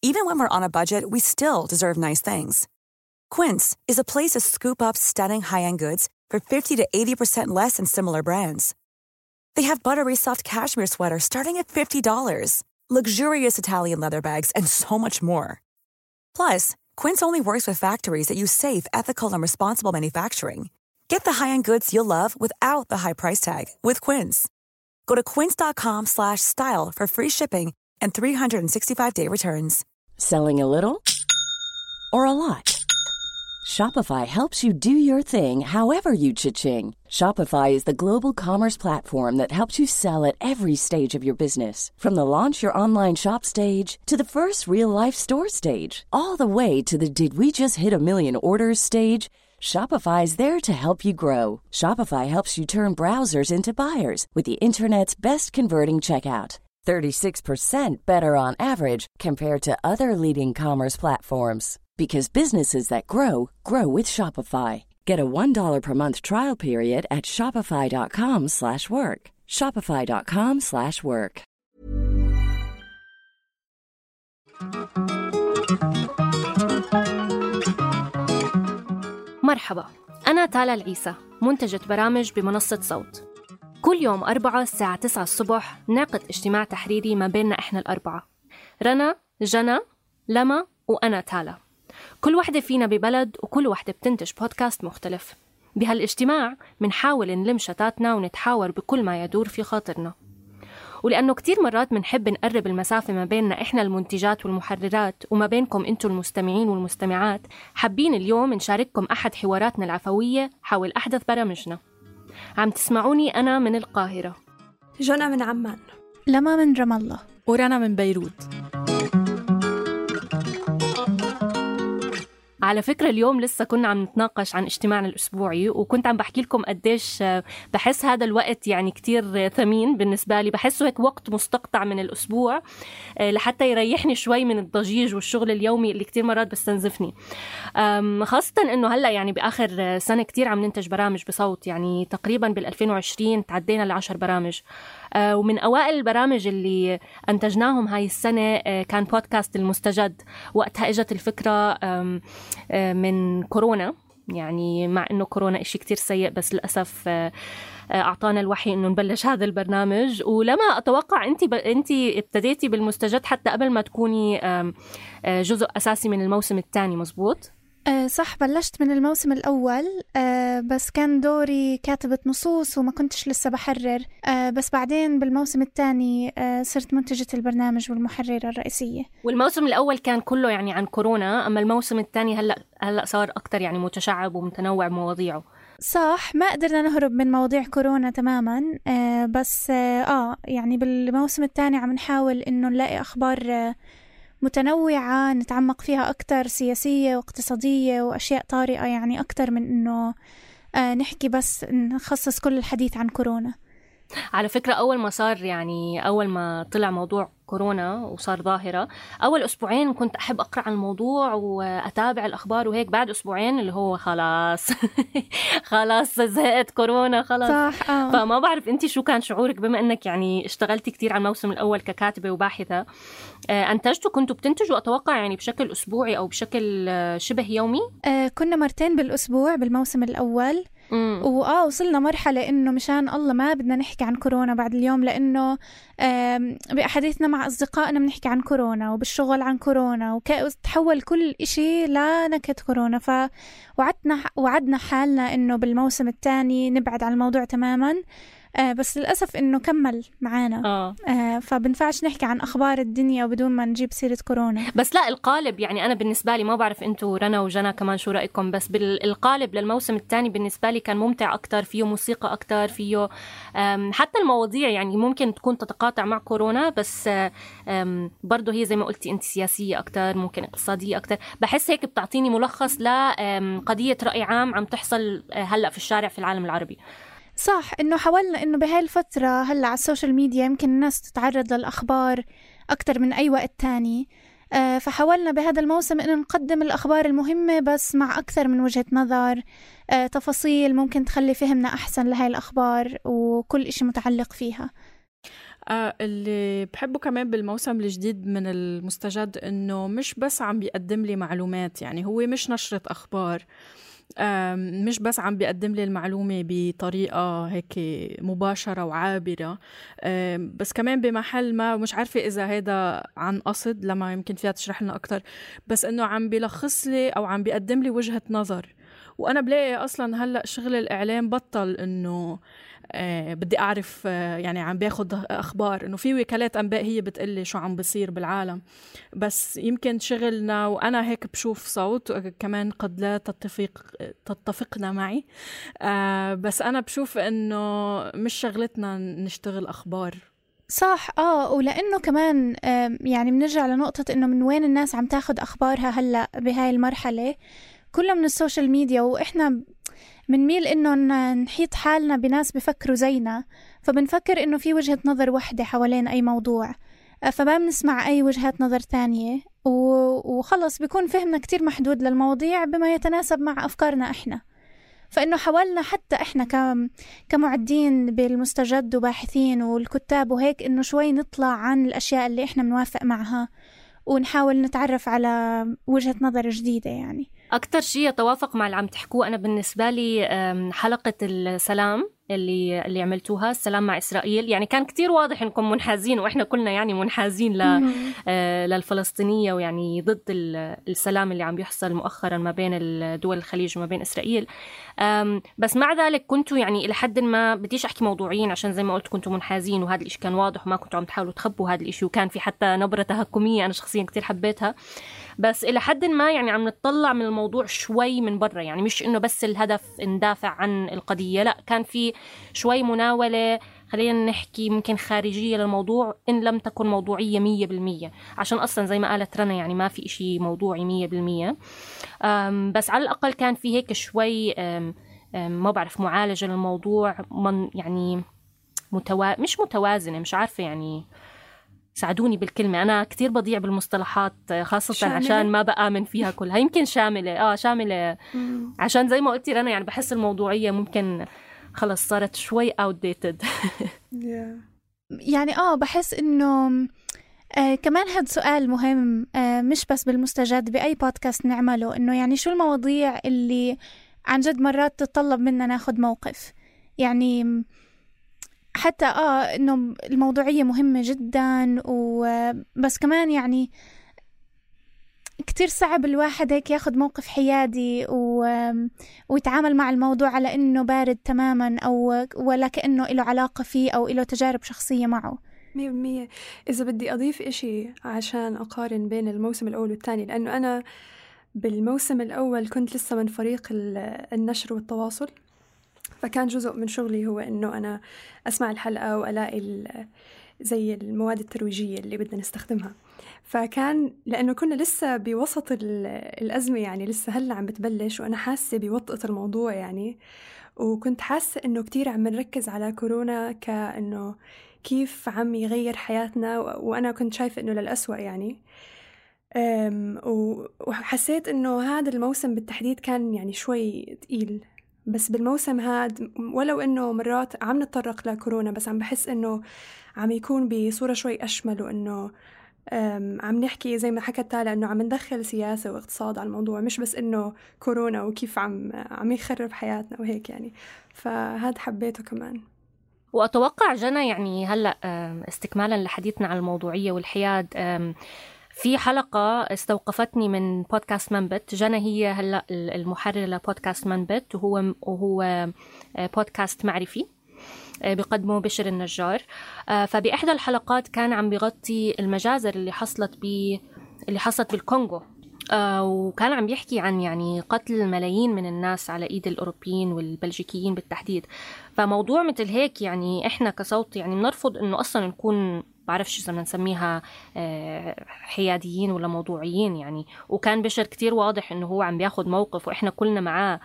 Even when we're on a budget, we still deserve nice things. Quince is a place to scoop up stunning high-end goods for 50 to 80% less than similar brands. They have buttery soft cashmere sweaters starting at $50, luxurious Italian leather bags, and so much more. Plus, Quince only works with factories that use safe, ethical, and responsible manufacturing. Get the high-end goods you'll love without the high price tag with Quince. Go to quince.com/style for free shipping and 365-day returns. Selling a little or a lot? Shopify helps you do your thing however you cha-ching. Shopify is the global commerce platform that helps you sell at every stage of your business. From the launch your online shop stage to the first real-life store stage, all the way to the did we just hit a million orders stage. Shopify is there to help you grow. Shopify helps you turn browsers into buyers with the internet's best converting checkout. 36% better on average compared to other leading commerce platforms. Because businesses that grow, grow with Shopify. Get a $1 per month trial period at shopify.com/work. Shopify.com/work. مرحبا، أنا تالا العيسى، منتجة برامج بمنصة صوت. كل يوم 4 الساعة 9 الصبح نعقد اجتماع تحريري ما بيننا إحنا الأربعة، رنا، جنى، لما، وأنا تالا. كل واحدة فينا ببلد وكل واحدة بتنتج بودكاست مختلف. بهالاجتماع منحاول نلم شتاتنا ونتحاور بكل ما يدور في خاطرنا. ولأنه كتير مرات منحب نقرب المسافة ما بيننا إحنا المنتجات والمحررات وما بينكم أنتوا المستمعين والمستمعات، حابين اليوم نشارككم أحد حواراتنا العفوية حول أحدث برامجنا. عم تسمعوني أنا من القاهرة، جنى من عمان، لما من رام الله، ورنا من بيروت. على فكرة اليوم لسه كنا عم نتناقش عن اجتماعنا الأسبوعي، وكنت عم بحكي لكم قديش بحس هذا الوقت يعني كتير ثمين بالنسبة لي. بحسه هيك وقت مستقطع من الأسبوع لحتى يريحني شوي من الضجيج والشغل اليومي اللي كتير مرات بستنزفني، خاصة إنه هلأ يعني بآخر سنة كتير عم ننتج برامج بصوت. يعني تقريبا بال2020 تعدينا ل10 برامج، ومن أوائل البرامج اللي أنتجناهم هاي السنة كان بودكاست المستجد. وقتها إجت الفكرة من كورونا، يعني مع إنه كورونا إشي كتير سيء، بس للأسف أعطانا الوحي إنه نبلش هذا البرنامج. ولما أتوقع أنت ابتديتي بالمستجد حتى قبل ما تكوني جزء أساسي من الموسم الثاني، مزبوط؟ صح، بلشت من الموسم الأول، بس كان دوري كاتبة نصوص وما كنتش لسه بحرر. بس بعدين بالموسم الثاني صرت منتجة البرنامج والمحررة الرئيسية. والموسم الأول كان كله يعني عن كورونا، أما الموسم الثاني هلأ صار أكتر يعني متشعب ومتنوع مواضيعه. صح، ما قدرنا نهرب من مواضيع كورونا تماما، بس يعني بالموسم الثاني عم نحاول إنه نلاقي أخبار متنوعة نتعمق فيها أكتر، سياسية واقتصادية وأشياء طارئة، يعني أكتر من إنه نحكي بس نخصص كل الحديث عن كورونا. على فكرة أول ما طلع موضوع كورونا وصار ظاهرة، أول أسبوعين كنت أحب أقرأ عن الموضوع وأتابع الأخبار وهيك. بعد أسبوعين اللي هو خلاص خلاص زهقت كورونا خلاص. صح. فما بعرف أنتي شو كان شعورك بما أنك يعني اشتغلتي كتير على الموسم الأول ككاتبة وباحثة. كنتوا بتنتجوا أتوقع يعني بشكل أسبوعي أو بشكل شبه يومي؟ كنا مرتين بالأسبوع بالموسم الأول. وصلنا مرحلة إنه مشان الله ما بدنا نحكي عن كورونا بعد اليوم، لأنه بأحاديثنا مع أصدقائنا بنحكي عن كورونا وبالشغل عن كورونا، وتحول كل إشي لنكهة كورونا. وعدنا حالنا إنه بالموسم الثاني نبعد عن الموضوع تماما، بس للأسف إنه كمل معانا. فبنفعش نحكي عن أخبار الدنيا بدون ما نجيب سيرة كورونا. بس لا، القالب يعني أنا بالنسبة لي، ما بعرف أنتوا رنا وجنى كمان شو رأيكم، بس بالقالب للموسم الثاني بالنسبة لي كان ممتع أكتر، فيه موسيقى أكتر، فيه حتى المواضيع يعني ممكن تكون تتقاطع مع كورونا، بس برضو هي زي ما قلتي أنت سياسية أكتر، ممكن اقتصادية أكتر. بحس هيك بتعطيني ملخص لقضية رأي عام عم تحصل هلأ في الشارع في العالم العربي. صح، إنه حاولنا إنه بهاي الفترة هلأ على السوشيال ميديا يمكن الناس تتعرض للأخبار أكتر من أي وقت تاني، فحاولنا بهذا الموسم إنه نقدم الأخبار المهمة بس مع أكثر من وجهة نظر، تفاصيل ممكن تخلي فهمنا أحسن لهاي الأخبار وكل إشي متعلق فيها. اللي بحبه كمان بالموسم الجديد من المستجد إنه مش بس عم بيقدم لي معلومات، يعني هو مش نشرة أخبار، مش بس عم بيقدم لي المعلومة بطريقة هيك مباشرة وعابرة، بس كمان بمحل ما، ومش عارفة إذا هيدا عن قصد لما يمكن فيها تشرح لنا أكتر، بس إنه عم بيلخص لي أو عم بيقدم لي وجهة نظر. وأنا بلاقي أصلاً هلأ شغل الإعلام بطل إنه بدي أعرف يعني عم بياخد أخبار، إنه في وكالات أنباء هي بتقلي شو عم بصير بالعالم، بس يمكن شغلنا وأنا هيك بشوف صوت كمان قد لا تتفقنا معي، بس أنا بشوف إنه مش شغلتنا نشتغل أخبار. صح. ولأنه كمان يعني بنرجع لنقطة إنه من وين الناس عم تاخد أخبارها هلأ بهاي المرحلة، كلها من السوشيال ميديا، وإحنا بنميل إنه نحيط حالنا بناس بفكروا زينا، فبنفكر إنه في وجهة نظر واحدة حوالين أي موضوع، فما بنسمع أي وجهات نظر تانية، وخلص بيكون فهمنا كتير محدود للمواضيع بما يتناسب مع أفكارنا إحنا. فإنه حاولنا حتى إحنا كمعدين بالمستجد وباحثين والكتاب وهيك إنه شوي نطلع عن الأشياء اللي إحنا بنوافق معها ونحاول نتعرف على وجهة نظر جديدة. يعني أكتر شيء يتوافق مع اللي عم تحكوه أنا بالنسبة لي حلقة السلام اللي عملتوها، السلام مع إسرائيل، يعني كان كتير واضح إنكم منحازين، وإحنا كلنا يعني منحازين للفلسطينية، ويعني ضد السلام اللي عم بيحصل مؤخرا ما بين الدول الخليج وما بين إسرائيل. بس مع ذلك كنتوا يعني إلى حد ما، بديش أحكي موضوعيين عشان زي ما قلت كنتوا منحازين، وهذا الإشي كان واضح وما كنتوا عم تحاولوا تخبوا هذا الإشي، وكان في حتى نبرة تهكمية أنا شخصيا كتير حبيتها. بس إلى حد ما يعني عم نطلع من الموضوع شوي من برا، يعني مش إنه بس الهدف ندافع عن القضية، لا، كان في شوي مناولة، خلينا نحكي ممكن خارجية للموضوع إن لم تكن موضوعية 100%، عشان أصلا زي ما قالت رنا يعني ما في إشي موضوعي 100%. بس على الأقل كان في هيك شوي ما بعرف معالجة للموضوع، يعني مش متوازنة، مش عارفة يعني، ساعدوني بالكلمة، أنا كتير بضيع بالمصطلحات خاصة شاملة. عشان ما بآمن فيها كلها. يمكن شاملة شاملة عشان زي ما قلتي رنا يعني بحس الموضوعية ممكن خلص صارت شوي outdated. يعني بحس إنه كمان هاد سؤال مهم، مش بس بالمستجد، بأي بودكاست نعمله، إنه يعني شو المواضيع اللي عن جد مرات تتطلب منا ناخد موقف. يعني حتى إنه الموضوعية مهمة جدا، بس كمان يعني كتير صعب الواحد هيك ياخد موقف حيادي ويتعامل مع الموضوع على إنه بارد تماما، أو ولا كأنه إله علاقة فيه أو إله تجارب شخصية معه. 100%. إذا بدي أضيف إشي عشان أقارن بين الموسم الأول والثاني، لأنه أنا بالموسم الأول كنت لسه من فريق النشر والتواصل، فكان جزء من شغلي هو إنه أنا أسمع الحلقة وألاقي زي المواد الترويجية اللي بدنا نستخدمها. فكان لأنه كنا لسه بوسط الأزمة، يعني لسه هلأ عم بتبلش، وأنا حاسة بوطئة الموضوع يعني، وكنت حاسة إنه كتير عم نركز على كورونا كأنه كيف عم يغير حياتنا، وأنا كنت شايفة إنه للأسوأ يعني. وحسيت إنه هذا الموسم بالتحديد كان يعني شوي تقيل، بس بالموسم هاد ولو إنه مرات عم نتطرق لكورونا، بس عم بحس إنه عم يكون بصورة شوي أشمل، وإنه عم نحكي زي ما حكت تالا إنه عم ندخل سياسة واقتصاد على الموضوع، مش بس إنه كورونا وكيف عم يخرب حياتنا وهيك يعني. فهاد حبيته كمان. وأتوقع جنى يعني هلأ استكمالا لحديثنا عن الموضوعية والحياد، في حلقة استوقفتني من بودكاست منبت. جنى هي هلأ المحررة لبودكاست منبت، وهو بودكاست معرفي بيقدمه بشر النجار. فبإحدى الحلقات كان عم بيغطي المجازر اللي حصلت بالكونغو، وكان عم بيحكي عن يعني قتل ملايين من الناس على إيد الأوروبيين والبلجيكيين بالتحديد. فموضوع مثل هيك يعني إحنا كصوت يعني بنرفض إنه أصلا نكون بعرفش إذا نسميها حياديين ولا موضوعيين يعني. وكان بشر كتير واضح إنه هو عم بياخد موقف وإحنا كلنا معاه.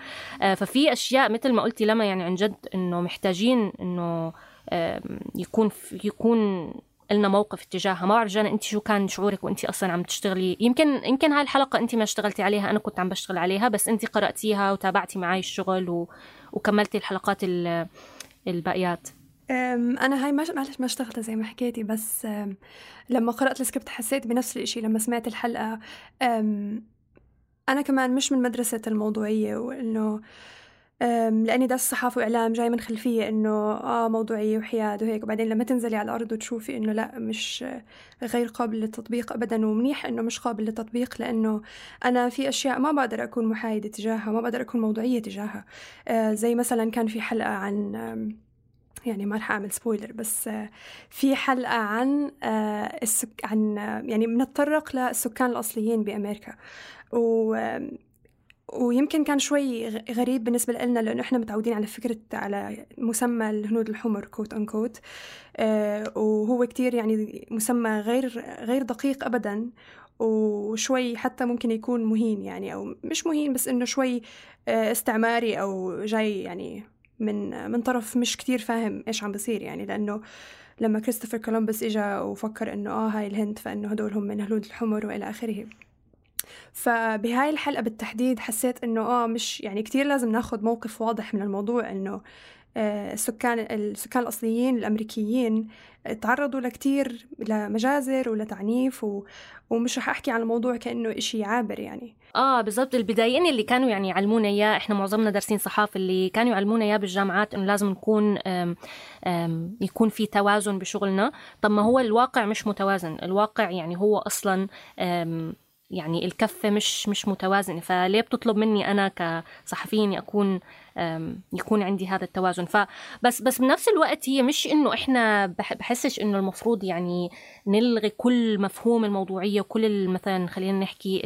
ففي أشياء مثل ما قلتي لما يعني عن جد إنه محتاجين إنه يكون لنا موقف اتجاهها. ما بعرف جانا أنت شو كان شعورك وأنت أصلا عم تشتغلي؟ يمكن هاي الحلقة أنت ما اشتغلتي عليها، أنا كنت عم بشتغل عليها، بس أنت قرأتيها وتابعتي معي الشغل وكملتي الحلقات الباقيات. أنا هاي ما اشتغلتها زي ما حكيتي، بس لما قرأت السكريبت حسيت بنفس الإشي لما سمعت الحلقة. أنا كمان مش من مدرسة الموضوعية، وإنه لأني درست صحافة وإعلام جاي من خلفية إنه موضوعية وحياد وهيك، وبعدين لما تنزلي على الأرض وتشوفي إنه لا، مش غير قابل للتطبيق أبدا، ومنيح إنه مش قابل للتطبيق، لأنه أنا في أشياء ما بقدر أكون محايدة تجاهها، ما بقدر أكون موضوعية تجاهها. زي مثلا كان في حلقة عن يعني ما رح أعمل سبويلر، بس في حلقة عن يعني بنتطرق للسكان الأصليين بأمريكا، ويمكن كان شوي غريب بالنسبة لنا، لأنه إحنا متعودين على مسمى الهنود الحمر كوت أنكوت، وهو كتير يعني مسمى غير دقيق أبدا، وشوي حتى ممكن يكون مهين يعني، أو مش مهين بس إنه شوي استعماري، أو جاي يعني من طرف مش كتير فاهم إيش عم بصير يعني. لأنه لما كريستوفر كولومبوس إجا وفكر إنه هاي الهند، فإنه هدول هم من الهنود الحمر وإلى آخره. فبهاي الحلقة بالتحديد حسيت إنه مش يعني كتير لازم ناخد موقف واضح من الموضوع، إنه السكان الأصليين الأمريكيين تعرضوا لكتير لمجازر ولتعنيف، ومش رح أحكي عن الموضوع كأنه إشي عابر يعني. بالضبط. البدايين اللي كانوا يعني يعلمونا إياه، إحنا معظمنا دارسين صحافة، اللي كانوا يعلمونا إياه بالجامعات إنه لازم نكون يكون في توازن بشغلنا. طب ما هو الواقع مش متوازن، الواقع يعني هو أصلا يعني الكفة مش متوازنة، فليه بتطلب مني أنا كصحفيين يكون عندي هذا التوازن؟ بس بنفس الوقت هي مش إنه إحنا بحسش إنه المفروض يعني نلغي كل مفهوم الموضوعية وكل مثلا خلينا نحكي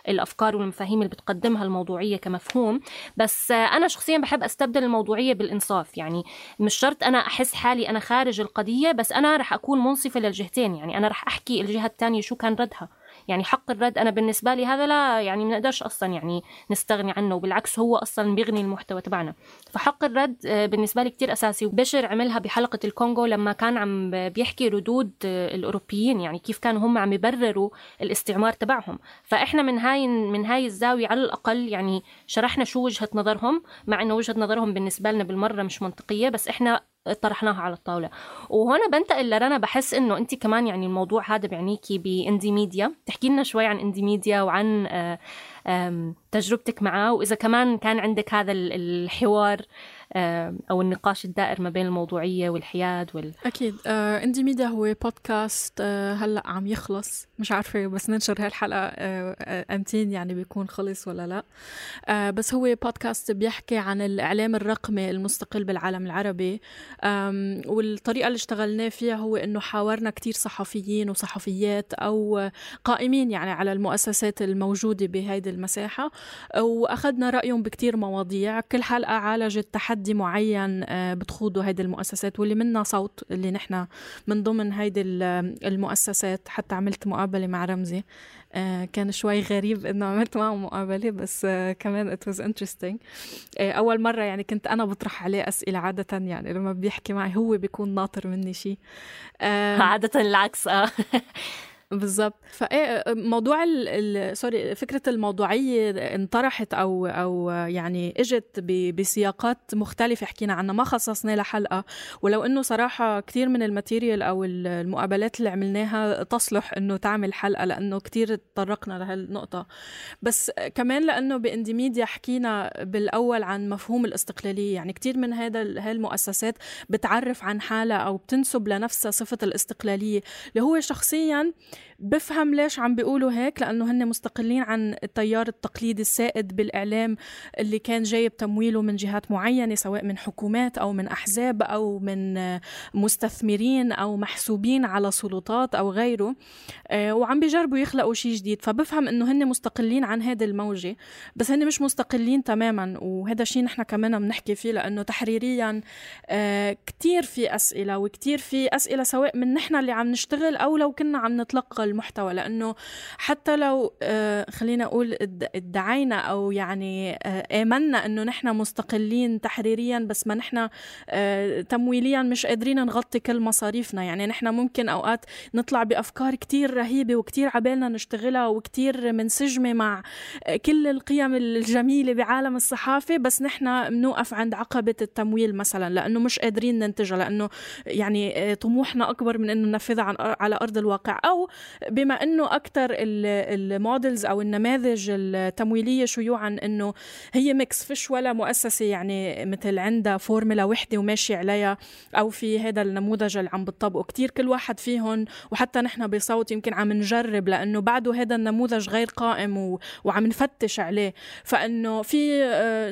الأفكار والمفاهيم اللي بتقدمها الموضوعية كمفهوم. بس أنا شخصيا بحب أستبدل الموضوعية بالإنصاف. يعني مش شرط أنا أحس حالي أنا خارج القضية، بس أنا رح أكون منصفة للجهتين. يعني أنا رح أحكي الجهة الثانية شو كان ردها. يعني حق الرد أنا بالنسبة لي هذا لا يعني ما نقدرش أصلا يعني نستغني عنه، وبالعكس هو أصلا بيغني المحتوى تبعنا. فحق الرد بالنسبة لي كتير أساسي. وبشر عملها بحلقة الكونغو لما كان عم بيحكي ردود الأوروبيين، يعني كيف كانوا هم عم يبرروا الاستعمار تبعهم. فإحنا من هاي الزاوية على الأقل يعني شرحنا شو وجهة نظرهم، مع إنه وجهة نظرهم بالنسبة لنا بالمرة مش منطقية، بس إحنا طرحناها على الطاولة. وهنا بنتقل لرنا، بحس إنه أنت كمان يعني الموضوع هذا بعنيكي بإندي ميديا، تحكي لنا شوي عن إندي ميديا وعن تجربتك معه، وإذا كمان كان عندك هذا الحوار أو النقاش الدائر ما بين الموضوعية والحياد أكيد. إندي ميديا هو بودكاست هلأ عم يخلص، مش عارفة بس ننشر هالحلقة أمتين يعني بيكون خلص ولا لا. بس هو بودكاست بيحكي عن الإعلام الرقمي المستقل بالعالم العربي. والطريقة اللي اشتغلناه فيها هو إنه حاورنا كتير صحفيين وصحفيات أو قائمين يعني على المؤسسات الموجودة بهيدي المساحة، وأخذنا رأيهم بكتير مواضيع. كل حلقة عالجت تحدي معين بتخوضوا هيدي المؤسسات، واللي منا صوت اللي نحنا من ضمن هيدي المؤسسات. حتى عملت مقابلة مع رمزي، كان شوي غريب إنه عملت معه مقابلة، بس كمان it was interesting. أول مرة يعني كنت أنا بطرح عليه أسئلة. عادة يعني لما بيحكي معي هو بيكون ناطر مني شيء، عادة العكس. بالضبط. موضوع فكرة الموضوعية انطرحت أو يعني اجت بسياقات مختلفة حكينا عنها، ما خصصنا لها حلقة. ولو إنه صراحة كتير من الماتيريال أو المقابلات اللي عملناها تصلح إنه تعمل حلقة، لأنه كتير تطرقنا لهالنقطة. بس كمان لأنه بإندي ميديا حكينا بالأول عن مفهوم الاستقلالية. يعني كتير من هالمؤسسات بتعرف عن حالها أو بتنسب لنفسها صفة الاستقلالية، اللي هو شخصياً بفهم ليش عم بيقولوا هيك، لأنه هن مستقلين عن التيار التقليدي السائد بالإعلام اللي كان جايب تمويله من جهات معينة، سواء من حكومات أو من أحزاب أو من مستثمرين أو محسوبين على سلطات أو غيره، وعم بيجربوا يخلقوا شيء جديد. فبفهم إنه هن مستقلين عن هذه الموجة، بس هن مش مستقلين تماما. وهذا الشيء نحن كمان بنحكي فيه، لأنه تحريريا كتير في أسئلة، وكتير في أسئلة سواء من نحن اللي عم نشتغل أو لو كنا عم نتلقى المحتوى، لأنه حتى لو خلينا أقول ادعينا أو يعني آمنا أنه نحن مستقلين تحريريا بس ما نحن تمويليا مش قادرين نغطي كل مصاريفنا. يعني نحن ممكن أوقات نطلع بأفكار كتير رهيبة وكتير عبالنا نشتغلها وكتير منسجمة مع كل القيم الجميلة بعالم الصحافة، بس نحن منوقف عند عقبة التمويل مثلا لأنه مش قادرين ننتجها، لأنه يعني طموحنا أكبر من أنه ننفذها على أرض الواقع. أو بما أنه أكتر المودلز أو النماذج التمويلية شيوعا أنه هي ميكس، فيش ولا مؤسسة يعني مثل عندها فورمولا وحدة وماشي عليها، أو في هذا النموذج اللي عم بتطبقه كتير كل واحد فيهم. وحتى نحن بصوت يمكن عم نجرب لأنه بعده هذا النموذج غير قائم وعم نفتش عليه. فإنه في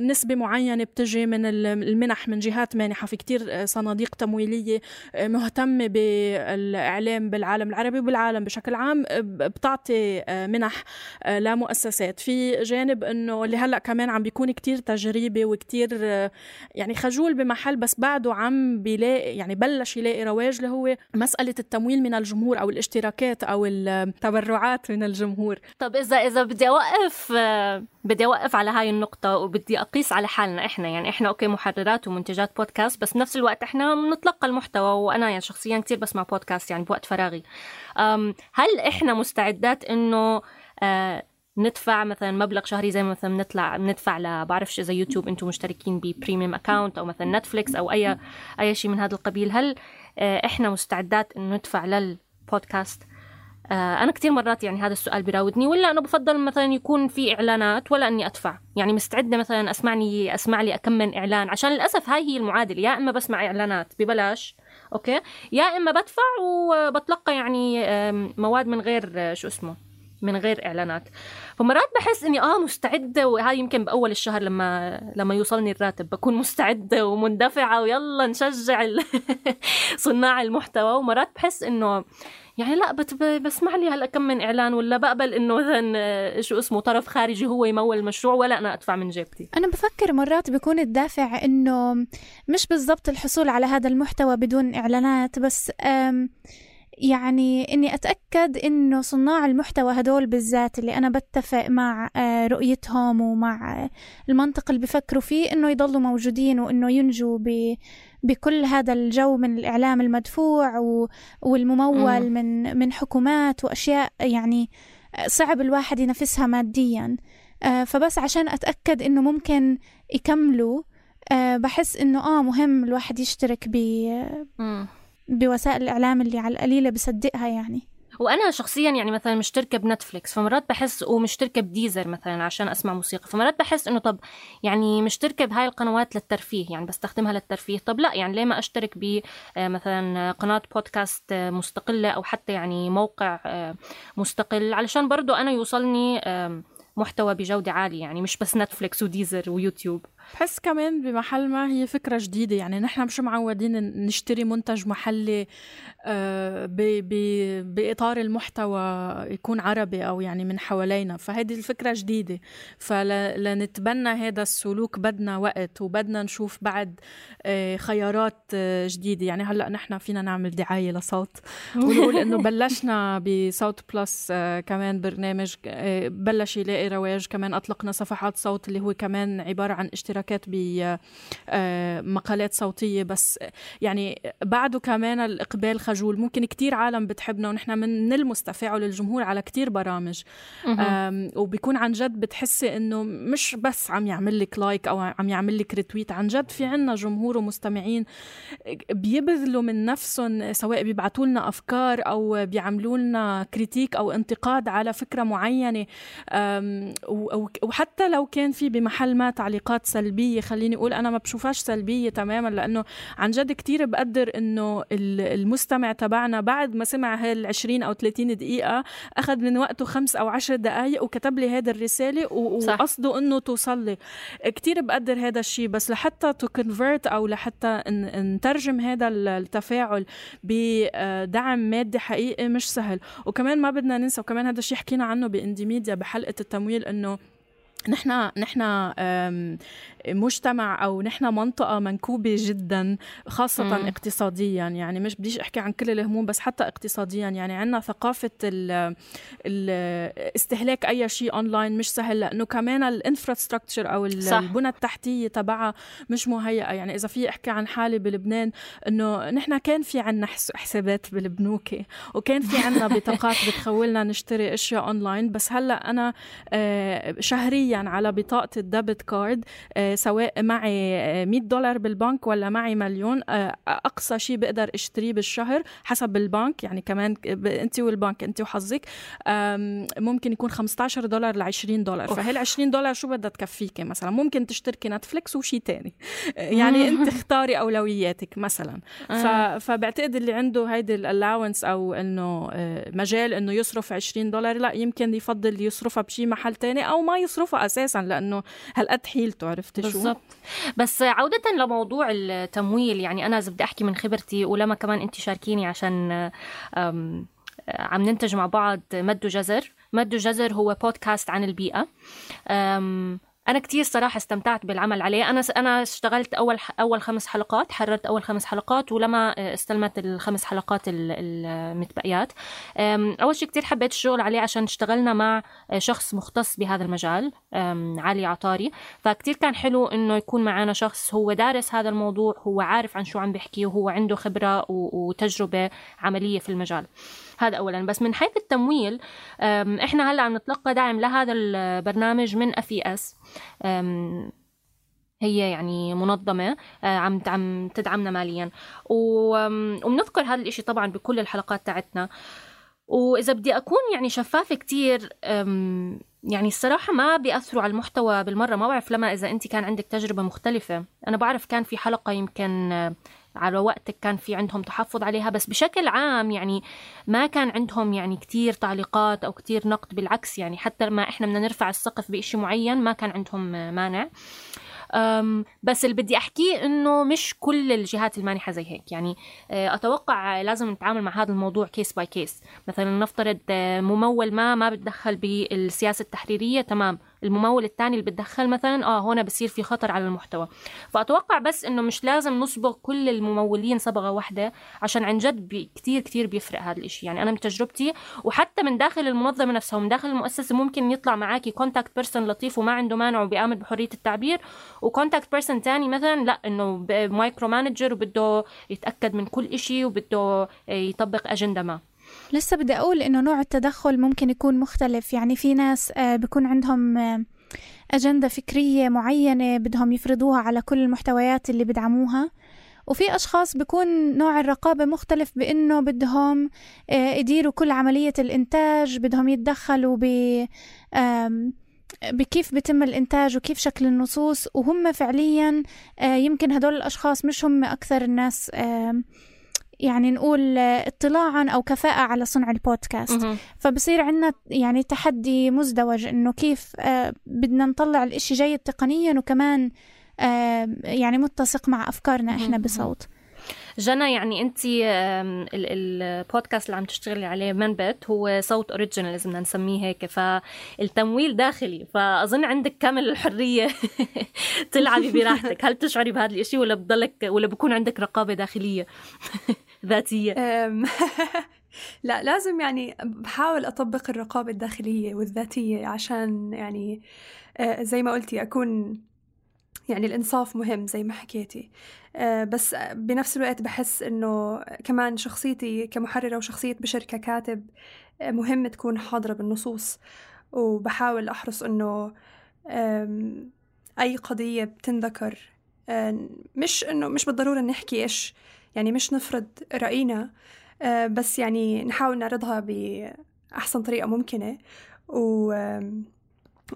نسبة معينة بتجي من المنح من جهات مانحة، في كتير صناديق تمويلية مهتمة بالإعلام بالعالم العربي وبالعالم بشكل عام بتعطي منح لمؤسسات. في جانب إنه اللي هلأ كمان عم بيكون كتير تجريبي وكتير يعني خجول بمحل، بس بعده عم بيلاقي يعني بلش يلاقي رواج، اللي هو مسألة التمويل من الجمهور أو الاشتراكات أو التبرعات من الجمهور. طب إذا بدي أوقف على هاي النقطة وبدي أقيس على حالنا إحنا، يعني إحنا أوكي محررات ومنتجات بودكاست، بس بنفس الوقت إحنا بنتلقى المحتوى، وأنا يعني شخصيا كتير بسمع بودكاست يعني بوقت فراغي. هل إحنا مستعدات إنه ندفع مثلا مبلغ شهري زي مثلا ندفع بعرفش إذا يوتيوب أنتم مشتركين ببريميوم أكاونت أو مثلا نتفليكس أو أي شيء من هذا القبيل؟ هل إحنا مستعدات إنه ندفع للبودكاست؟ أنا كتير مرات يعني هذا السؤال بيراودني، ولا أنا بفضل مثلا يكون في إعلانات ولا أني أدفع. يعني مستعدة مثلا أسمع لي أكمل إعلان، عشان للأسف هاي هي المعادلة، يا إما بسمع إعلانات ببلاش أوكي، يا إما بدفع وبتلقى يعني مواد من غير من غير إعلانات. فمرات بحس إني مستعدة، وهاي يمكن بأول الشهر لما يوصلني الراتب بكون مستعدة ومندفعة ويلا نشجع صناع المحتوى. ومرات بحس إنه يعني لا بسمع لي هلا كم من إعلان، ولا بقبل إنه مثلا طرف خارجي هو يمول المشروع ولا أنا أدفع من جيبتي. أنا بفكر مرات بيكون الدافع إنه مش بالضبط الحصول على هذا المحتوى بدون إعلانات، بس يعني إني أتأكد إنه صناع المحتوى هدول بالذات اللي أنا بتفق مع رؤيتهم ومع المنطق اللي بفكروا فيه إنه يضلوا موجودين، وإنه ينجوا بكل هذا الجو من الإعلام المدفوع والممول من حكومات وأشياء يعني صعب الواحد ينافسها ماديا. فبس عشان أتأكد إنه ممكن يكملوا، بحس إنه مهم الواحد يشترك بوسائل الإعلام اللي على القليلة بصدقها يعني. وأنا شخصيا يعني مثلا مشتركة بنتفليكس، فمرات بحس، ومشتركة بديزر مثلا عشان أسمع موسيقى، فمرات بحس إنه طب يعني مشتركة بهاي القنوات للترفيه، يعني بستخدمها للترفيه، طب لا يعني ليه ما أشترك مثلا قناة بودكاست مستقلة أو حتى يعني موقع مستقل، علشان برضو أنا يوصلني محتوى بجودة عالية، يعني مش بس نتفليكس وديزر ويوتيوب. بحس كمان بمحل ما هي فكرة جديدة، يعني نحن مش معودين نشتري منتج محلي بإطار المحتوى يكون عربي أو يعني من حوالينا، فهذه الفكرة جديدة. فلنتبنى هذا السلوك بدنا وقت، وبدنا نشوف بعد خيارات جديدة. يعني هلأ نحن فينا نعمل دعاية لصوت ونقول إنه بلشنا بصوت بلس كمان برنامج بلش يلاقي رواج، كمان أطلقنا صفحات صوت اللي هو كمان عبارة عن اشتراكات بمقالات صوتية، بس يعني بعده كمان الإقبال خجول. ممكن كتير عالم بتحبنا ونحن من المستفاعل الجمهور على كتير برامج، وبيكون عن جد بتحسي إنه مش بس عم يعمل لك لايك أو عم يعمل لك ريتويت، عن جد في عنا جمهور ومستمعين بيبذلوا من نفسهم، سواء بيبعتوا لنا أفكار أو بيعملوا لنا كريتيك أو انتقاد على فكرة معينة، وحتى لو كان في بمحل ما تعليقات سلبية، خليني أقول أنا ما بشوفهاش سلبية تماما، لأنه عن جد كتير بقدر إنه المستمع تبعنا بعد ما سمع هال20 أو 30 دقيقة أخذ من وقته 5 أو 10 دقايق وكتب لي هذا الرسالة وقصده إنه توصل لي. كتير بقدر هذا الشيء، بس لحتى تكونفرت أو لحتى نترجم هذا التفاعل بدعم مادي حقيقي مش سهل. وكمان ما بدنا ننسى، وكمان هذا الشيء حكينا عنه باندي ميديا بحلقة التمويل، إنه نحن مجتمع أو نحن منطقة منكوبة جدا خاصة اقتصاديا. يعني مش بديش أحكي عن كل الهموم بس حتى اقتصاديا. يعني عنا ثقافة استهلاك أي شيء أونلاين مش سهل لأنه كمان الانفراستراكتشر أو البنى التحتية تبعها مش مهيئة. يعني إذا في أحكي عن حالي بلبنان إنه نحن كان في عنا حسابات بالبنوك وكان في عنا بطاقات بتخولنا نشتري أشياء أونلاين. بس هلأ أنا شهريا على بطاقة الديبت كارد سواء معي $100 بالبنك ولا معي مليون أقصى شيء بقدر اشتريه بالشهر حسب البنك. يعني كمان أنت والبنك أنت وحظك ممكن يكون $15 ل $20. فهال $20 شو بدها تكفيك؟ مثلا ممكن تشتركي نتفليكس وشي تاني. يعني أنت اختاري أولوياتك مثلا. فبعتقد اللي عنده هيدي الألاونس أو إنه مجال إنه يصرف $20 لا يمكن يفضل يصرفها بشي محل تاني أو ما يصرفها أساساً لأنه هالقد حيلته. عرفت شو؟ بالضبط. بس عودة لموضوع التمويل، يعني أنا إذا بدي أحكي من خبرتي ولما كمان أنت شاركيني عشان عم ننتج مع بعض مد جزر هو بودكاست عن البيئة. أنا كتير صراحة استمتعت بالعمل عليه. أنا اشتغلت أول 5 حلقات، حررت أول 5 حلقات ولما استلمت ال5 حلقات المتبقيات. أول شيء كتير حبيت الشغل عليه عشان اشتغلنا مع شخص مختص بهذا المجال، علي عطاري. فكتير كان حلو إنه يكون معنا شخص هو دارس هذا الموضوع، هو عارف عن شو عم بيحكي وهو عنده خبرة وتجربة عملية في المجال. هذا أولاً. بس من حيث التمويل إحنا هلأ عم نتلقى دعم لهذا البرنامج من FES. هي يعني منظمة عم تدعمنا مالياً وبنذكر هذا الإشي طبعاً بكل الحلقات تاعتنا. وإذا بدي أكون يعني شفافة كتير، يعني الصراحة ما بيأثروا على المحتوى بالمرة. ما بعرف لما إذا أنت كان عندك تجربة مختلفة. أنا بعرف كان في حلقة يمكن على وقتك كان في عندهم تحفظ عليها، بس بشكل عام يعني ما كان عندهم يعني كتير تعليقات أو كتير نقد. بالعكس يعني حتى لما إحنا بدنا نرفع السقف بإشي معين ما كان عندهم مانع. بس اللي بدي أحكيه إنه مش كل الجهات المانحة زي هيك. يعني أتوقع لازم نتعامل مع هذا الموضوع كيس باي كيس. مثلا نفترض ممول ما بتدخل بالسياسة التحريرية، تمام. الممول الثاني اللي بتدخل مثلا هنا بصير في خطر على المحتوى. فأتوقع بس إنه مش لازم نصبغ كل الممولين صبغة واحدة، عشان عن جد كتير كتير بيفرق هذا الإشي. يعني أنا من تجربتي وحتى من داخل المنظمة نفسها ومن داخل المؤسسة ممكن يطلع معاكي كونتاكت بيرسون لطيف وما عنده مانع وبيآمن بحرية التعبير، وكونتاكت بيرسون تاني مثلا لا، إنه مايكرو مانجر وبده يتأكد من كل إشي وبده يطبق أجندة ما. لسه بدي أقول إنه نوع التدخل ممكن يكون مختلف. يعني في ناس بيكون عندهم أجندة فكرية معينة بدهم يفرضوها على كل المحتويات اللي بدعموها، وفي أشخاص بيكون نوع الرقابة مختلف بإنه بدهم يديروا كل عملية الإنتاج، بدهم يتدخلوا بكيف بيتم الإنتاج وكيف شكل النصوص. وهم فعليا يمكن هدول الأشخاص مش هم أكثر الناس يعني نقول اطلاعاً أو كفاءة على صنع البودكاست. فبصير عنا يعني تحدي مزدوج إنه كيف بدنا نطلع الإشي جيد تقنياً وكمان يعني متسق مع أفكارنا إحنا بصوت. جنى، يعني أنت البودكاست اللي عم تشتغلي عليه منبت هو صوت أوريجينال إذا بدنا نسميه هيك، فالتمويل داخلي، فأظن عندك كامل الحرية تلعبي براحتك. هل تشعري بهذا الإشي ولا بضلك ولا بكون عندك رقابة داخلية ذاتية؟ لا، لازم يعني بحاول أطبق الرقابة الداخلية والذاتية عشان يعني زي ما قلتي أكون يعني الإنصاف مهم زي ما حكيتي. بس بنفس الوقت بحس إنه كمان شخصيتي كمحررة وشخصية بشر ككاتب مهم تكون حاضرة بالنصوص، وبحاول أحرص إنه أي قضية بتنذكر مش بالضرورة نحكي إيش يعني مش نفرض رأينا، بس يعني نحاول نعرضها بأحسن طريقة ممكنة.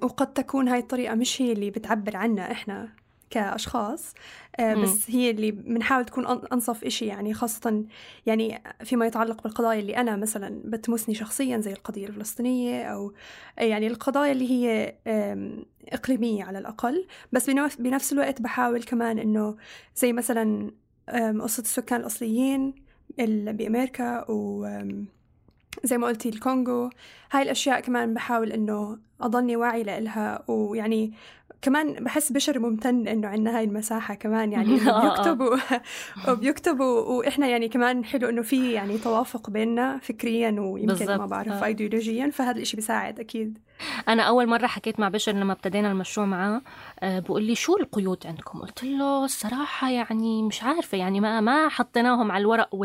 وقد تكون هاي الطريقة مش هي اللي بتعبر عنا إحنا كأشخاص، بس هي اللي بنحاول تكون أنصف إشي، يعني خاصة يعني فيما يتعلق بالقضايا اللي أنا مثلا بتمسني شخصيا زي القضية الفلسطينية أو يعني القضايا اللي هي إقليمية على الأقل. بس بنفس الوقت بحاول كمان إنه زي مثلا قصة السكان الأصليين بأمريكا زي ما قلتي الكونغو. هاي الأشياء كمان بحاول إنه أضلني واعي لإلها، ويعني كمان بحس بشر ممتن إنه عنا هاي المساحة كمان، يعني بيكتبوا وإحنا يعني كمان حلو إنه في يعني توافق بيننا فكريا ويمكن ما بعرف أيديولوجيا، فهذا الإشي بيساعد أكيد. أنا أول مرة حكيت مع بشر لما ابتدينا المشروع معاه، بقول لي شو القيود عندكم؟ قلت له الصراحة يعني مش عارفة، يعني ما حطيناهم على الورق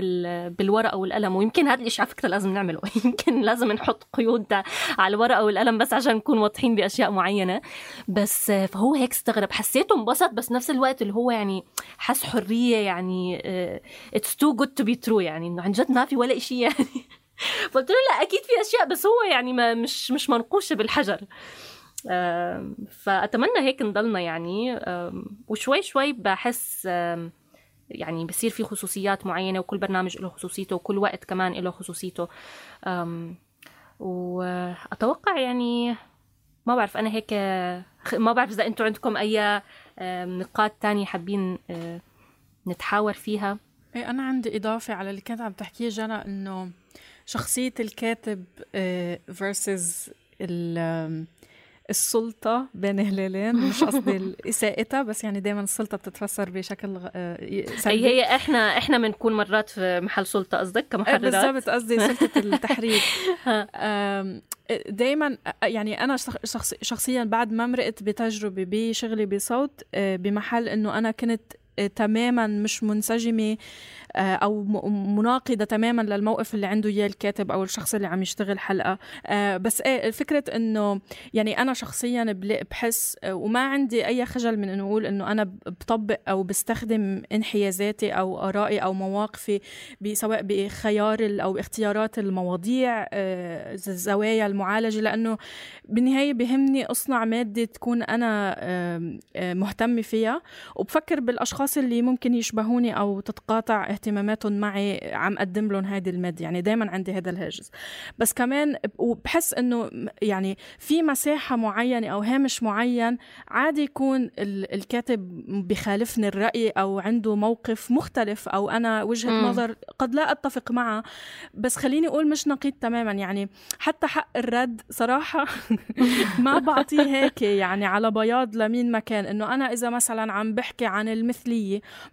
بالورقة والقلم، ويمكن هذا الإشي على فكرة لازم نعمله يمكن لازم نحط قيود على الورقة والقلم بس عشان نكون واضحين بأشياء معينة. بس فهو هيك استغرب، حسيته انبسط، بس نفس الوقت اللي هو يعني حس حرية، يعني it's too good to be true، يعني إنه عن جد ما في ولا إشي يعني. قلت له لا أكيد في أشياء، بس هو يعني مش منقوشة بالحجر. فأتمنى هيك نضلنا يعني، وشوي شوي بحس يعني بصير في خصوصيات معينة، وكل برنامج له خصوصيته، وكل وقت كمان له خصوصيته. وأتوقع يعني ما بعرف، أنا هيك ما بعرف إذا أنتوا عندكم أي نقاط تانية حابين نتحاور فيها. أنا عندي إضافة على اللي كانت عم تحكيه جنى، إنه شخصية الكاتب versus السلطة بين هلالين. مش قصدي إساءتها، بس يعني دايما السلطة بتتفسر بشكل سلبي. هي إحنا بنكون مرات في محل سلطة، قصدك كمحررات؟ بالضبط، قصدي سلطة التحرير. دايما يعني أنا شخصيا بعد ما مرقت بتجربة بشغلي بصوت بمحل إنه أنا كنت تماما مش منسجمة أو مناقضة تماما للموقف اللي عنده إياه الكاتب أو الشخص اللي عم يشتغل حلقة. بس الفكرة إنه يعني أنا شخصيا بحس وما عندي أي خجل من إنه أقول إنه أنا بطبق أو بستخدم انحيازاتي أو آرائي أو مواقفي سواء بخيار أو اختيارات المواضيع، الزوايا المعالجة، لأنه بالنهاية بهمني أصنع مادة تكون أنا مهتمة فيها، وبفكر بالأشخاص اللي ممكن يشبهوني أو تتقاطع اهتماماتهم معي عم أقدم لهم هذه المادة. يعني دايما عندي هذا الهاجس. بس كمان وبحس إنه يعني في مساحة معينة أو هامش معين عادي يكون الكاتب بخالفني الرأي أو عنده موقف مختلف أو أنا وجهة نظر قد لا أتفق معه، بس خليني أقول مش نقيض تماما. يعني حتى حق الرد صراحة ما بعطيه هيك يعني على بياض لمين مكان، إنه أنا إذا مثلا عم بحكي عن المثلية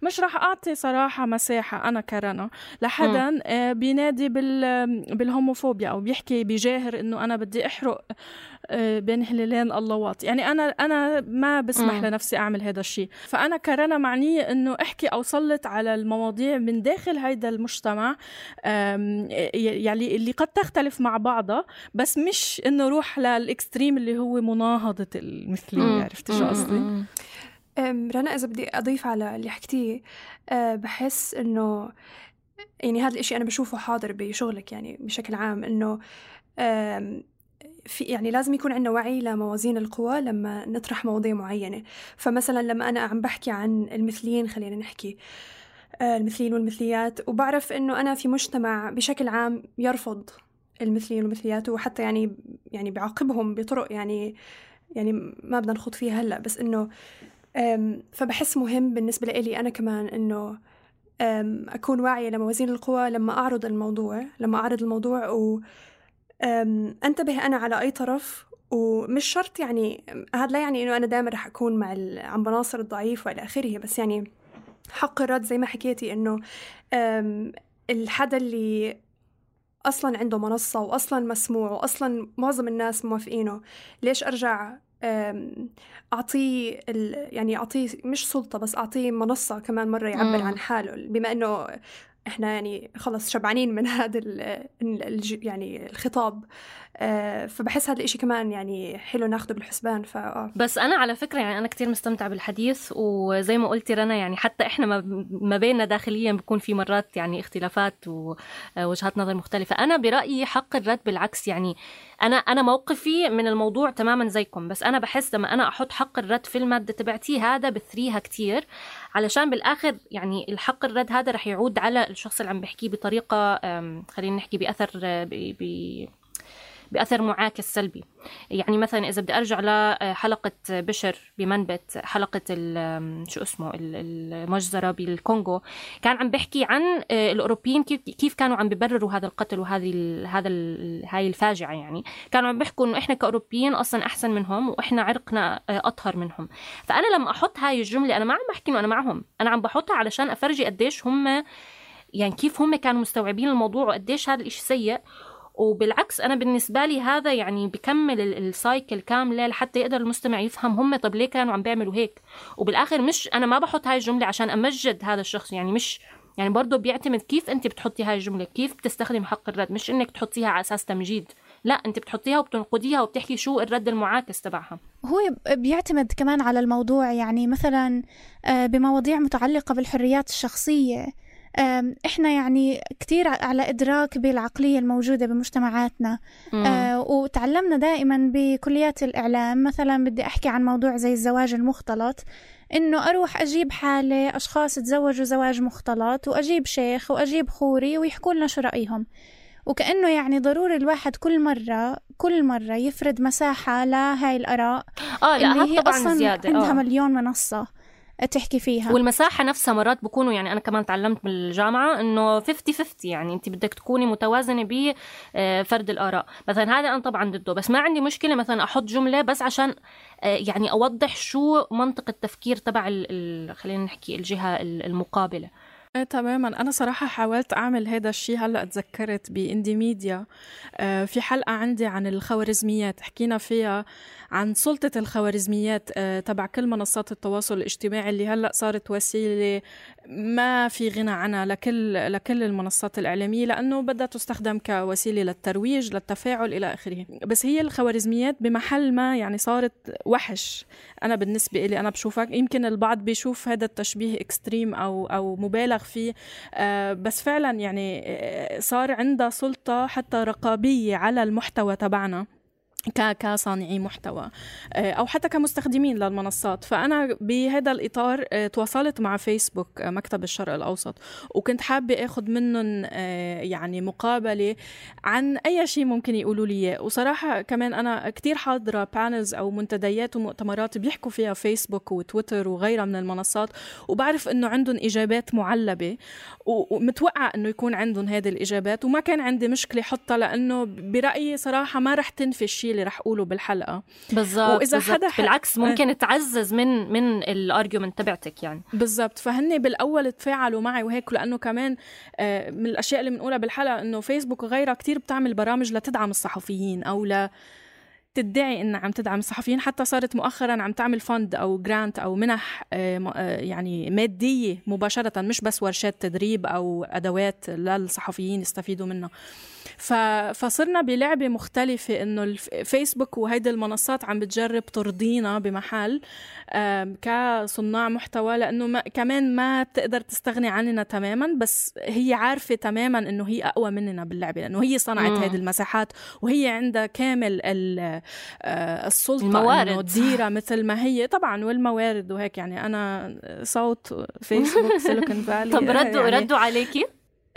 مش رح أعطي صراحة مساحة أنا كرنا لحدا بينادي بالهوموفوبيا أو بيحكي بجاهر إنه أنا بدي أحرق بين هلالين اللواط. يعني أنا ما بسمح لنفسي أعمل هذا الشيء. فأنا كرنا معنية إنه أحكي أو سلط على المواضيع من داخل هيدا المجتمع يعني اللي قد تختلف مع بعضها، بس مش إنه روح للإكستريم اللي هو مناهضة المثلية. عرفتي شو قصدي؟ رنا إذا بدي أضيف على اللي حكتيه، بحس إنه يعني هذا الإشي أنا بشوفه حاضر بشغلك يعني بشكل عام، إنه في يعني لازم يكون عندنا وعي لموازين القوى لما نطرح مواضيع معينة. فمثلا لما أنا عم بحكي عن المثليين، خلينا نحكي المثليين والمثليات، وبعرف إنه أنا في مجتمع بشكل عام يرفض المثليين والمثليات، وحتى يعني بعاقبهم بطرق يعني ما بدنا نخوض فيها هلأ، بس إنه فبحس مهم بالنسبة لي أنا كمان إنه أكون واعية لموازين القوى لما أعرض الموضوع وأنتبه أنا على أي طرف. ومش شرط يعني هذا لا يعني إنه أنا دائما رح أكون مع عم بناصر الضعيف وإلى آخره، بس يعني حق الرد زي ما حكيتي إنه الحدا اللي أصلا عنده منصة وأصلا مسموع وأصلا معظم الناس موافقينه، ليش أرجع أعطيه يعني أعطيه مش سلطة بس أعطيه منصة كمان مرة يعبر عن حاله، بما إنه إحنا يعني خلص شبعانين من هذا يعني الخطاب. فبحس هذا الإشي كمان يعني حلو ناخده بالحسبان. بس أنا على فكرة يعني أنا كتير مستمتع بالحديث، وزي ما قلتي رنا يعني حتى إحنا ما بيننا داخليا بيكون في مرات يعني اختلافات ووجهات نظر مختلفة. أنا برأيي حق الرد بالعكس، يعني أنا موقفي من الموضوع تماما زيكم، بس أنا بحس لما أنا أحط حق الرد في المادة تبعتي هذا بثريها كتير، علشان بالآخر يعني الحق الرد هذا رح يعود على الشخص اللي عم بحكيه بطريقة خلينا نحكي بأثر بأثر معاكس سلبي. يعني مثلا إذا بدي أرجع لحلقة بشر بمنبت، حلقة شو اسمه المجزرة بالكونغو، كان عم بحكي عن الأوروبيين كيف كانوا عم بيبرروا هذا القتل هاي الفاجعة. يعني كانوا عم بيحكوا إنه إحنا كأوروبيين أصلا أحسن منهم وإحنا عرقنا أطهر منهم. فأنا لما أحط هاي الجملة أنا ما عم بحكي إنه أنا معهم، أنا عم بحطها علشان أفرجي قديش هم يعني كيف هم كانوا مستوعبين الموضوع وقديش هذا الإشي سيء. وبالعكس أنا بالنسبة لي هذا يعني بكمل السايكل كاملة لحتى يقدر المستمع يفهم هم طب ليه كانوا عم بيعملوا هيك. وبالآخر مش أنا ما بحط هاي الجملة عشان أمجد هذا الشخص، يعني مش يعني برضو بيعتمد كيف أنت بتحطي هاي الجملة، كيف بتستخدم حق الرد، مش إنك تحطيها على أساس تمجيد، لا أنت بتحطيها وبتنقديها وبتحكي شو الرد المعاكس تبعها. هو بيعتمد كمان على الموضوع، يعني مثلا بمواضيع متعلقة بالحريات الشخصية إحنا يعني كتير على إدراك بالعقلية الموجودة بمجتمعاتنا. وتعلمنا دائما بكليات الإعلام مثلا بدي أحكي عن موضوع زي الزواج المختلط، إنه أروح أجيب حالة أشخاص تزوجوا زواج مختلط وأجيب شيخ وأجيب خوري ويحكوا لنا شو رأيهم، وكأنه يعني ضروري الواحد كل مرة يفرد مساحة لهاي الآراء اللي هي أصلا زيادة. عندها مليون منصة تحكي فيها، والمساحة نفسها مرات بكونوا يعني أنا كمان تعلمت بالجامعة إنه 50-50، يعني أنت بدك تكوني متوازنة بفرد الآراء. مثلا هذا أنا طبعا ضده، بس ما عندي مشكلة مثلا أحط جملة بس عشان يعني أوضح شو منطق التفكير تبع خلينا نحكي الجهة المقابلة. تماما. أنا صراحة حاولت أعمل هذا الشيء. هلأ تذكرت بإندي ميديا في حلقة عندي عن الخوارزميات، حكينا فيها عن سلطة الخوارزميات تبع كل منصات التواصل الاجتماعي اللي هلأ صارت وسيلة ما في غنى عنها لكل المنصات الإعلامية، لأنه بدها تستخدم كوسيلة للترويج للتفاعل إلى آخره. بس هي الخوارزميات بمحل ما يعني صارت وحش. أنا بالنسبة إلي أنا بشوفك، يمكن البعض بيشوف هذا التشبيه إكستريم أو مبالغ فيه، بس فعلا يعني صار عندها سلطة حتى رقابية على المحتوى تبعنا كصانعي محتوى أو حتى كمستخدمين للمنصات. فأنا بهذا الإطار تواصلت مع فيسبوك مكتب الشرق الأوسط، وكنت حابة أخذ منهم يعني مقابلة عن أي شيء ممكن يقولوا لي. وصراحة كمان أنا كتير حاضرة بانلز أو منتديات ومؤتمرات بيحكوا فيها فيسبوك وتويتر وغيرها من المنصات، وبعرف أنه عندهم إجابات معلبة، ومتوقع أنه يكون عندهم هذه الإجابات، وما كان عندي مشكلة حطها، لأنه برأيي صراحة ما رح تنفي الشيء اللي رح أقوله بالحلقة. بالضبط. بالعكس ممكن تعزز من الارجيومنت تبعتك يعني. بالضبط. فهني بالأول تفاعلوا معي وهيك، لأنه كمان من الأشياء اللي بنقولها بالحلقة أنه فيسبوك وغيرها كتير بتعمل برامج لتدعم الصحفيين أو تدعي إنها عم تدعم الصحفيين. حتى صارت مؤخرا عم تعمل فند أو جرانت أو منح يعني مادية مباشرة، مش بس ورشات تدريب أو أدوات للصحفيين يستفيدوا منها. فصرنا بلعبة مختلفة، إنه الفيسبوك وهيدا المنصات عم بتجرب ترضينا بمحل كصناع محتوى، لأنه كمان ما بتقدر تستغني عننا تماما، بس هي عارفة تماما إنه هي أقوى مننا باللعبة، لأنه هي صنعت هذه المساحات وهي عندها كامل السلطة إنه تديرها مثل ما هي طبعا، والموارد وهيك. يعني أنا صوت فيسبوك سيليكون فالي. طب ردوا عليكي؟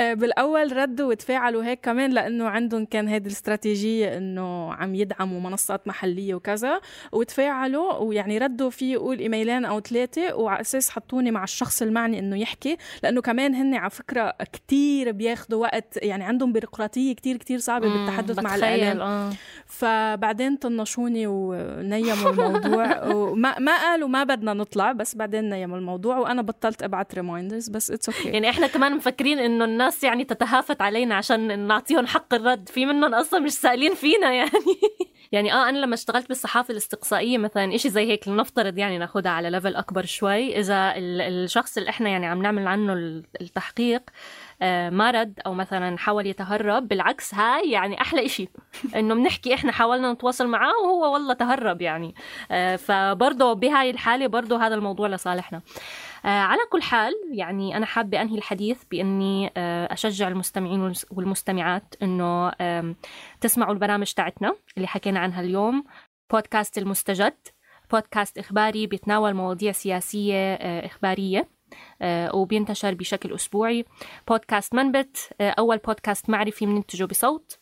بالأول ردوا وتفاعلوا هيك كمان، لأنه عندهم كان هذه الاستراتيجية إنه عم يدعموا منصات محلية وكذا، وتفاعلوا ويعني ردوا في يقول إيميلين أو 3، وعلى أساس حطوني مع الشخص المعني إنه يحكي، لأنه كمان هن على فكرة كتير بياخدوا وقت، يعني عندهم بيروقراطية كتير صعبة بالتحدث مع الإعلام. فبعدين طنشوني ونيموا الموضوع وما قالوا ما بدنا نطلع، بس بعدين نيموا الموضوع وأنا بطلت أبعت ريمايندرز. بس it's okay. يعني إحنا كمان مفكرين إنه الناس يعني تتهافت علينا عشان نعطيهم حق الرد، في منهم أصلا مش سائلين فينا يعني. يعني أنا لما اشتغلت بالصحافة الاستقصائية مثلا إشي زي هيك، لنفترض يعني ناخدها على ليفل أكبر شوي، إذا الشخص اللي إحنا يعني عم نعمل عنه التحقيق ما رد أو مثلا حاول يتهرب، بالعكس هاي يعني أحلى إشي إنه بنحكي إحنا حاولنا نتواصل معاه وهو والله تهرب يعني. فبرضه بهاي الحالة برضه هذا الموضوع لصالحنا. على كل حال يعني أنا حابة أنهي الحديث بأني أشجع المستمعين والمستمعات إنه تسمعوا البرامج تاعتنا اللي حكينا عنها اليوم. بودكاست المستجد، بودكاست إخباري بيتناول مواضيع سياسية إخبارية وبينتشر بشكل أسبوعي. بودكاست منبت، أول بودكاست معرفي مننتجه بصوت.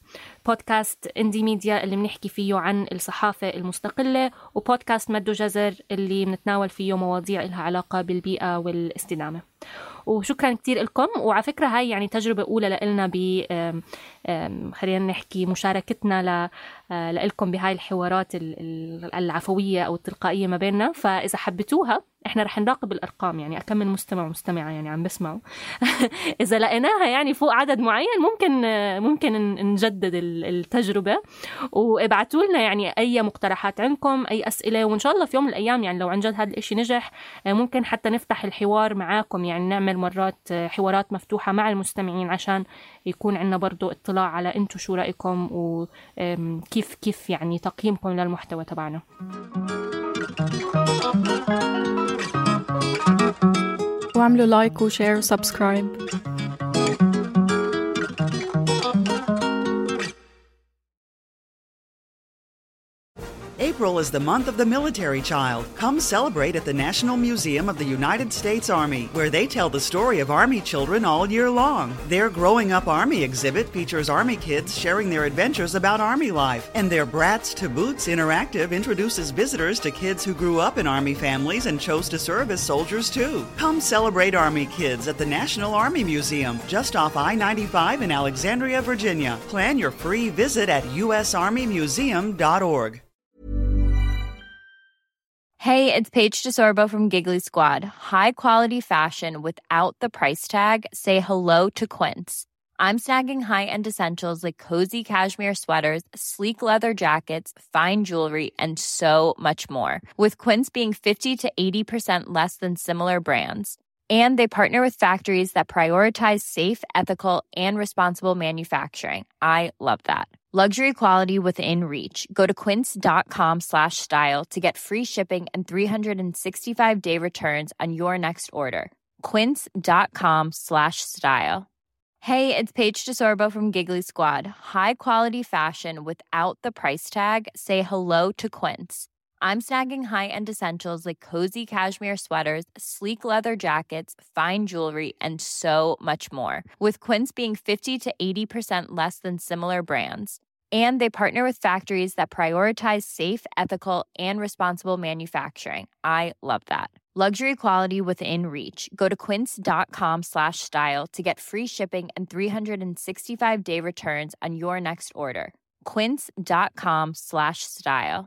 بودكاست اندي ميديا اللي بنحكي فيه عن الصحافة المستقلة، وبودكاست مد وجزر اللي بنتناول فيه مواضيع لها علاقة بالبيئة والاستدامة. وشكرا كتير لكم. وعلى فكرة هاي يعني تجربة أولى لنا خلينا نحكي مشاركتنا لكم بهاي الحوارات العفوية أو التلقائية ما بيننا. فإذا حبيتوها إحنا رح نراقب الأرقام، يعني أكمل مستمع ومستمعة يعني عم بسمعوا إذا لقيناها يعني فوق عدد معين ممكن نجدد التجربة. وابعتوا لنا يعني أي مقترحات عندكم، أي أسئلة، وإن شاء الله في يوم من الأيام يعني لو عن جد هذا الإشي نجح ممكن حتى نفتح الحوار معاكم، يعني نعمل مرات حوارات مفتوحة مع المستمعين عشان يكون عندنا برضو اطلاع على انتو شو رأيكم وكيف يعني تقييمكم للمحتوى تبعنا. واعملوا لايك وشير وسبسكرايب. April is the month of the military child. Come celebrate at the National Museum of the United States Army, where they tell the story of Army children all year long. Their Growing Up Army exhibit features Army kids sharing their adventures about Army life, and their Brats to Boots interactive introduces visitors to kids who grew up in Army families and chose to serve as soldiers too. Come celebrate Army kids at the National Army Museum, just off I-95 in Alexandria, Virginia. Plan your free visit at usarmymuseum.org. Hey, it's Paige DeSorbo from Giggly Squad. High quality fashion without the price tag. Say hello to Quince. I'm snagging high-end essentials like cozy cashmere sweaters, sleek leather jackets, fine jewelry, and so much more. With Quince being 50 to 80% less than similar brands. And they partner with factories that prioritize safe, ethical, and responsible manufacturing. I love that. Luxury quality within reach. Go to quince.com/style to get free shipping and 365-day returns on your next order. Quince.com/style. Hey, it's Paige DeSorbo from Giggly Squad. High quality fashion without the price tag. Say hello to Quince. I'm snagging high-end essentials like cozy cashmere sweaters, sleek leather jackets, fine jewelry, and so much more. With Quince being 50 to 80% less than similar brands. And they partner with factories that prioritize safe, ethical, and responsible manufacturing. I love that. Luxury quality within reach. Go to quince.com/style to get free shipping and 365-day returns on your next order. Quince.com/style.